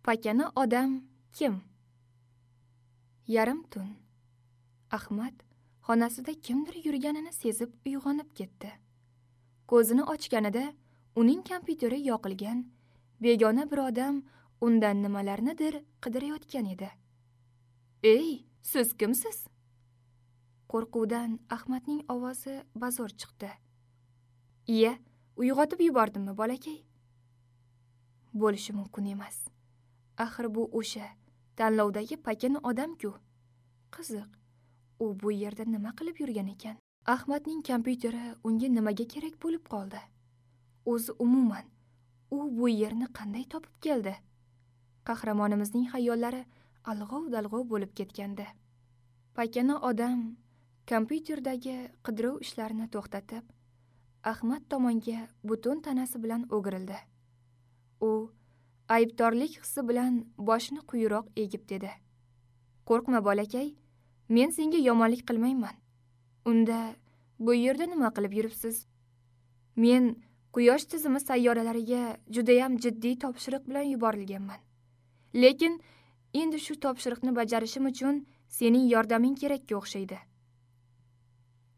Pakana odam kim? Yarim tun. Ahmad xonasida kimdir yurganini sezib uyg'onib ketdi. Ko'zini ochganida uning kompyuteri yoqilgan, begona bir odam undan nimalarnidir qidirayotgan edi. "Ey, siz kimsiz?" Qo'rquvdan Ahmadning ovozi bazo'r chiqdi. "Iya, uyg'otib yubordimmi, bolakay?" Bo'lishi mumkin emas. Axir bu o'sha tanlovdagi pakana odam-ku. Qiziq, u bu yerda nima qilib yurgan ekan? Ahmadning kompyuteri unga nimaga kerak bo'lib qoldi? O'zi umuman u bu yerni qanday topib keldi? Qahramonimizning xayollari alg'ov-dalg'ov bo'lib ketgandi. Pakana odam kompyuterdagi qidiruv ishlarini to'xtatib, Ahmad tomonga butun tanasi bilan o'girildi. U aybdorlik hissi bilan boshini quyiroq egib dedi: "Qo'rqma bolakay, men senga yomonlik qilmayman. Unda bu yerda nima qilib yuribsiz? Men Quyosh tizimi sayyoralariga judayam jiddiy topshiriq bilan yuborilganman. Lekin endi shu topshiriqni bajarishim uchun sening yordaming kerakka o'xshaydi."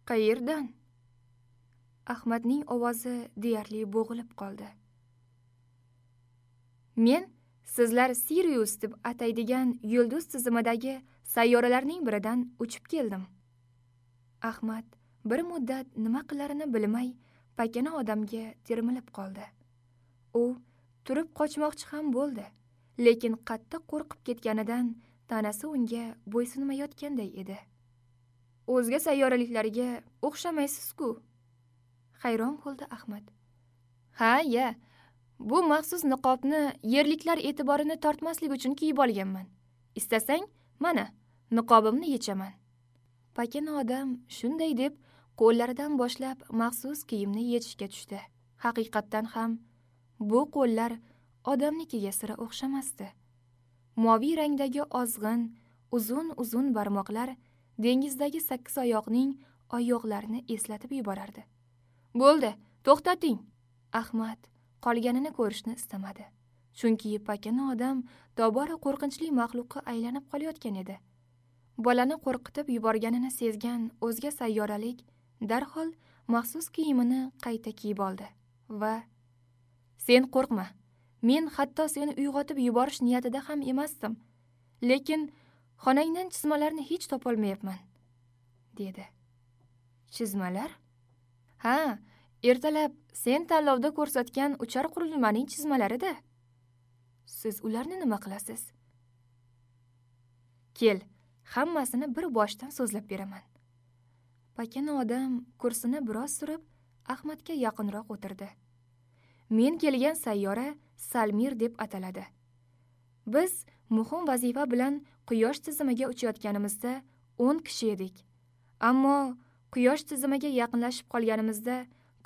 "Qayerdan?" Ahmadning ovozi deyarli bo'g'ilib qoldi. "Men sizlar Sirius deb ataydigan yulduz tizimidagi sayyoralarning biridan uchib keldim." Ahmad bir muddat nima qilarini bilmay pakana odamga termilib qoldi. U turib qochmoqchi ham bo'ldi, lekin qattiq qo'rqib ketganidan tanasi unga bo'ysunmayotganday edi. "O'zga sayyoraliklarga o'xshamaysiz-ku?" Hayron bo'ldi Ahmad. "Ha, ya. Bu maxsus niqobni yerliklar e'tiborini tortmaslik uchun kiyib olganman. Istasang, mana, niqobimni yechaman." Pakana odam shunday deb qo'llaridan boshlab maxsus kiyimni yechishga tushdi. Haqiqatdan ham bu qo'llar odamnikiga sira o'xshamasdi. Moviy rangdagi ozg'in, uzun-uzun barmoqlar dengizdagi sakkiz oyoqning oyoqlarini eslatib yuborardi. "Bo'ldi, to'xtating." Ahmad qolganini ko'rishni istamadi. Chunki pakana odam tobora qo'rqinchli maxluqqa aylanib qolayotgan edi. Bolani qo'rqitib yuborganini sezgan o'zga sayyoralik darhol maxsus kiyimini qayta kiyib oldi va "Sen qo'rqma. Men hatto seni uyg'otib yuborish niyatida ham emasdim. Lekin xonangdan chizmalarni hech topolmayapman", dedi. "Chizmalar? Ha, ertalab sen tanlovda ko'rsatgan uchar qurilmaning chizmalarida. Siz ularni nima qilasiz? Kel, hammasini bir boshdan so'zlab beraman." Pakana odam kursini biroz surib, Ahmadga yaqinroq o'tirdi. "Men kelgan sayyora Salmir deb ataladi. Biz muhim vazifa bilan Quyosh tizimiga uchayotganimizda 10 kishi edik. Ammo Quyosh tizimiga yaqinlashib qolganimizda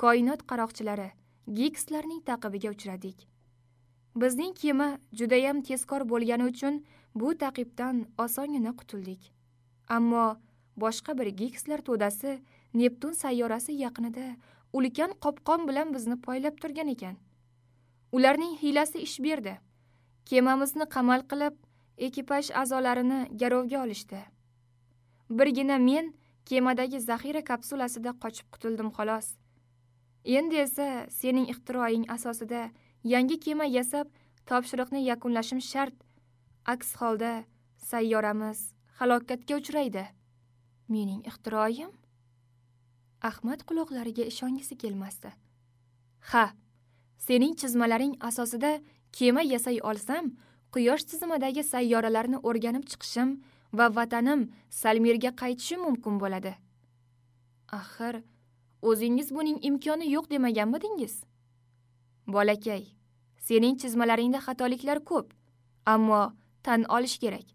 koinot qaroqchilari Gigslarning ta'qibiga uchradik. Bizning kema judayam tezkor bo'lgani uchun bu ta'qibdan osongina qutuldik. Ammo boshqa bir Gigslar to'dasi Neptun sayyorasi yaqinida ulkan qopqon bilan bizni poylab turgan ekan. Ularning hiylasi ish berdi. Kemamizni qamal qilib, ekipaj a'zolarini garovga olishdi. Birgina men kemadagi zaxira kapsulasida qochib qutuldim xolos. Endi esa sening ixtiroing asosida yangi kema yasab, topshiriqni yakunlashim shart. Aks holda sayyoramiz halokatga uchraydi." "Mening ixtiroyim?" Ahmad quloqlariga ishongisi kelmasdi. "Ha, sening chizmalaring asosida kema yasay olsam, Quyosh tizimidagi sayyoralarni o'rganib chiqishim va vatanim Salmirga qaytishim mumkin bo'ladi." "Axir, o'zingiz buning imkoni yo'q demaganmidingiz?" "Bolakay, sening chizmalaringda xatoliklar ko'p, ammo tan olish kerak,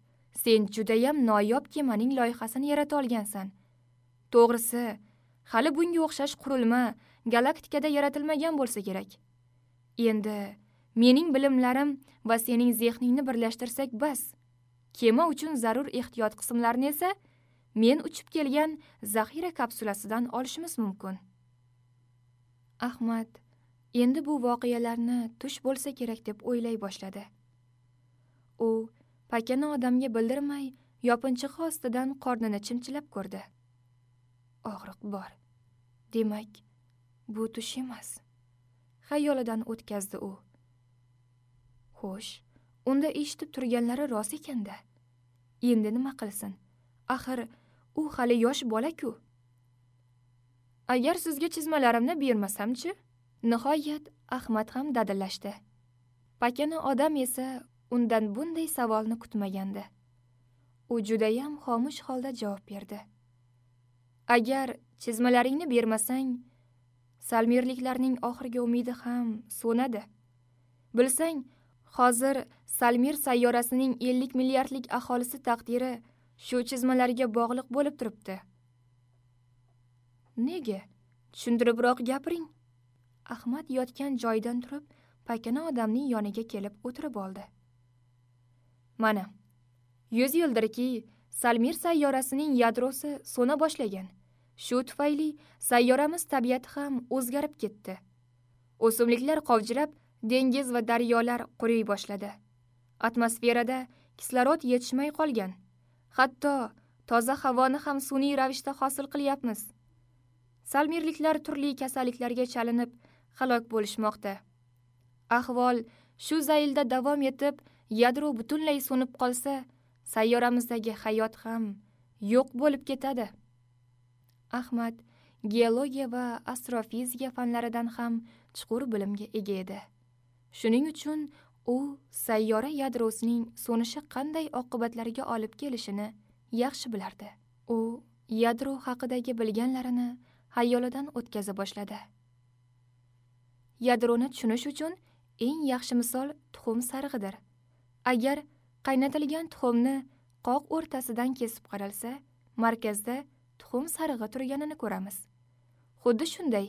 sen judayam noyob kemaning loyihasini yarata olgansan. To'g'risi, hali bunga o'xshash qurilma galaktikada yaratilmagan bo'lsa kerak. Endi mening bilimlarim va sening zehningni birlashtirsak bas. Kema uchun zarur ehtiyot qismlarini esa men uchib kelgan zaxira kapsulasidan olishimiz mumkin." Ahmad endi bu voqealarni tush bo'lsa kerak deb o'ylay boshladi. U pakana odamga bildirmay yopinchig'i ostidan qornini chimchilab ko'rdi. Og'riq bor. Demak, bu tush emas. Xayolidan o'tkazdi u. Xo'sh, unda eshitib turganlari rost ekanda. Endi nima qilsin? Axir u hali yosh bola-ku. Agar sizga chizmalarimni bermasam-chi? Nihoyat Ahmad ham dadillashdi. Pakana odam esa undan bunday savolni kutmagandi. U judayam xomush holda javob berdi. Agar chizmalaringni bermasang, salmirliklarning oxirgi umidi ham so'nadi. Bilsang, hozir Salmir sayyorasining 50 milliardlik aholisi taqdiri shu chizmalarga bog'liq bo'lib turibdi. Nega? Tushuntiribroq gapiring. Ahmad yotgan joyidan turib, pakana odamning yoniga kelib o'tirib oldi. Mana, 100 yildirki Salmir sayyorasining yadrosi so'na boshlagan. Shu tufayli sayyoramiz tabiati ham o'zgarib ketdi. O'simliklar qovjirab, dengiz va daryolar quriy boshladi. Atmosferada kislorod yetishmay qolgan. Hatto toza havoni ham sun'iy ravishda hosil qilyapmiz. Salmirliklar turli kasalliklarga chalinib halok bo'lishmoqda. Ahvol shu zaylda davom etib, yadro butunlay so'nib qolsa, sayyoramizdagi hayot ham yo'q bo'lib ketadi. Ahmad geologiya va astrofizika fanlaridan ham chuqur bilimga ega edi. Shuning uchun u sayyora yadrosining so'nishi qanday oqibatlarga olib kelishini yaxshi bilardi. U yadro haqidagi bilganlarini xayolidan o'tkaza boshladi. Yadroni tushunish uchun eng yaxshi misol tuxum sarig'idir. Agar qaynatilgan tuxumni qoq o'rtasidan kesib qaralsa, markazda tuxum sarig'i turganini ko'ramiz. Xuddi shunday,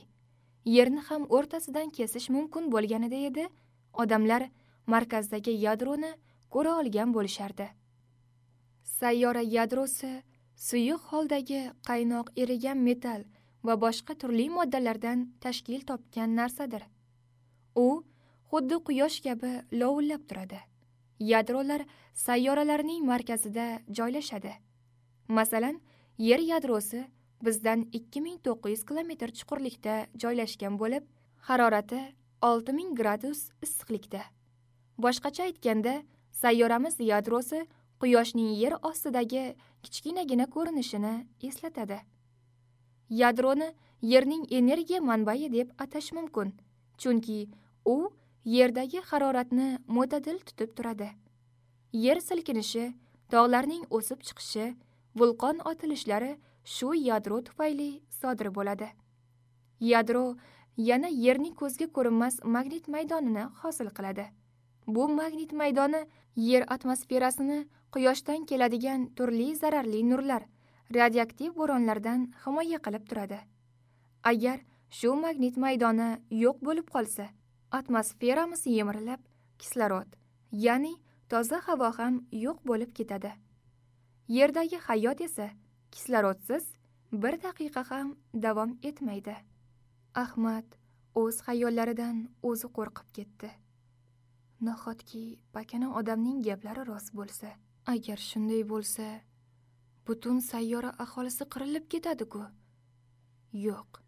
yerni ham o'rtasidan kesish mumkin bo'lganida edi, odamlar markazdagi yadroni ko'ra olgan bo'lishardi. Sayyora yadrosi suyuq holdagi qaynoq erigan metall va boshqa turli moddalardan tashkil topgan narsadir. U xuddi quyosh kabi lovullab turadi. Yadrolar sayyoralarning markazida joylashadi. Masalan, Yer yadrosi bizdan 2900 kilometr chuqurlikda joylashgan bo'lib, harorati 6000 gradus issiqlikda. Boshqacha aytganda, sayyoramiz yadrosi quyoshning yer ostidagi kichkinagina ko'rinishini eslatadi. Yadroni Yerning energiya manbai deb atash mumkin, chunki u yerdagi haroratni mo'tadil tutib turadi. Yer silkinishi, tog'larning o'sib chiqishi, vulqon otilishlari shu yadro tufayli sodir bo'ladi. Yadro yana Yerning ko'zga ko'rinmas magnit maydonini hosil qiladi. Bu magnit maydoni Yer atmosferasini quyoshdan keladigan turli zararli nurlar, radioaktiv bo'ronlardan himoya qilib turadi. Agar shu magnit maydoni yo'q bo'lib qolsa, atmosferamiz yemirilib, kislorod, ya'ni toza havo ham yo'q bo'lib ketadi. Yerdagi hayot esa kislorodsiz bir daqiqa ham davom etmaydi. Ahmad o'z xayollaridan o'zi qo'rqib ketdi. Nahotki pakana odamning gaplari rost bo'lsa? Agar shunday bo'lsa, butun sayyora aholisi qirilib ketadi-ku. Yo'q,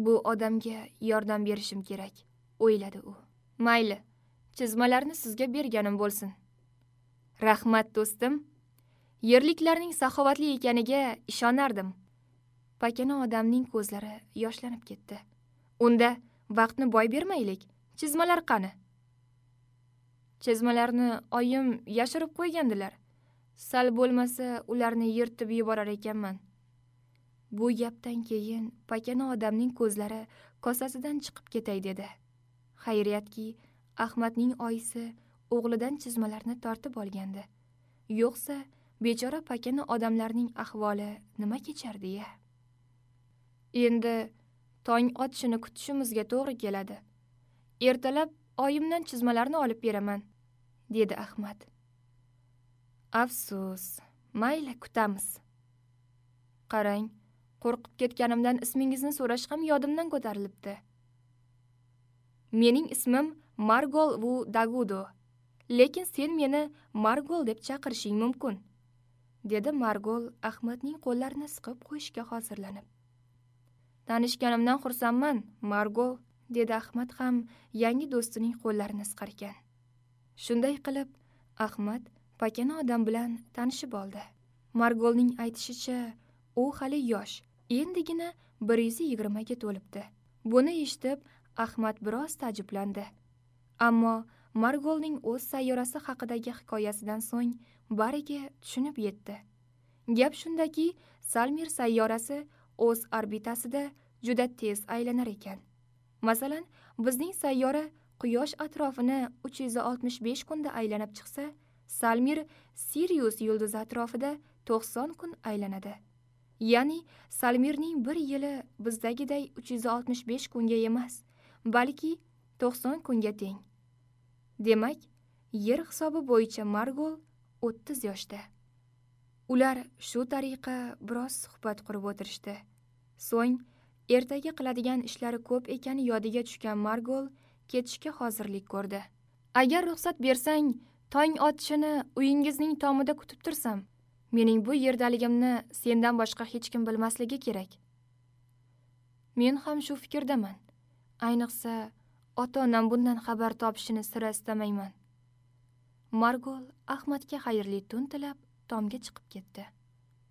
bu odamga yordam berishim kerak, o'yladi u. Mayli, chizmalarni sizga berganim bo'lsin. Rahmat do'stim. Yerliklarning saxovatli ekaniga ishonardim. Pakana odamning ko'zlari yoshlanib ketdi. Unda vaqtni boy bermaylik. Chizmalar qani? Chizmalarni oyim yashirib qo'ygandilar. Sal bo'lmasa ularni yirtib yuborar ekanman. Bu gapdan keyin pakana odamning ko'zlari kosasidan chiqib ketay dedi. Xayriyatki, Ahmadning oyisi o'g'lidan chizmalarni tortib olgandi. Yo'qsa bechora pakana odamlarning ahvoli nima kechardi-ya? Endi tong otishini kutishimizga to'g'ri keladi. Ertalab oyimdan chizmalarni olib beraman, dedi Ahmad. Afsus, mayli kutamiz. Qarang, qo'rqib ketganimdan ismingizni so'rash ham yodimdan ko'tarilibdi. Mening ismim Margol Vu Dagudo. Lekin sen meni Margol deb chaqirishing mumkin, dedi Margol Ahmadning qo'llarini siqib qo'yishga hozirlanib. Tanishganimdan xursandman, Margol, dedi Ahmad ham yangi do'stining qo'llarini siqar ekan. Shunday qilib Ahmad pakana odam bilan tanishib oldi. Margolning aytishicha, u hali yosh, endigina 120 ga to'libdi. Buni eshitib Ahmad biroz ta'jjublandi. Ammo Margolning o'z sayyorasi haqidagi hikoyasidan so'ng bariga tushunib yetdi. Gap shundaki, Salmir sayyorasi o'z orbitasida juda tez aylanar ekan. Masalan, bizning sayyora Quyosh atrofini 365 kunda aylanib chiqsa, Salmir Sirius yulduzi atrofida 90 kun aylanadi. Ya'ni Salmirning bir yili bizdagiday 365 kunga emas, balki 90 kunga teng. Demak, yer hisobi bo'yicha Margol 30 yoshda. Ular shu tariqa biroz suhbat qurib o'tirishdi. So'ng ertaga qiladigan ishlari ko'p ekani yodiga tushgan Margol ketishga hozirlik ko'rdi. Agar ruxsat bersang, tong otishini uyingizning tomida kutib tursam, mening bu yerdaligimni sendan boshqa hech kim bilmasligi kerak. Men ham shu fikrdaman. Ayniqsa, ota-onam bundan xabar topishini sira istamayman. Margol Ahmadga xayrli tun tilab tomga chiqib ketdi.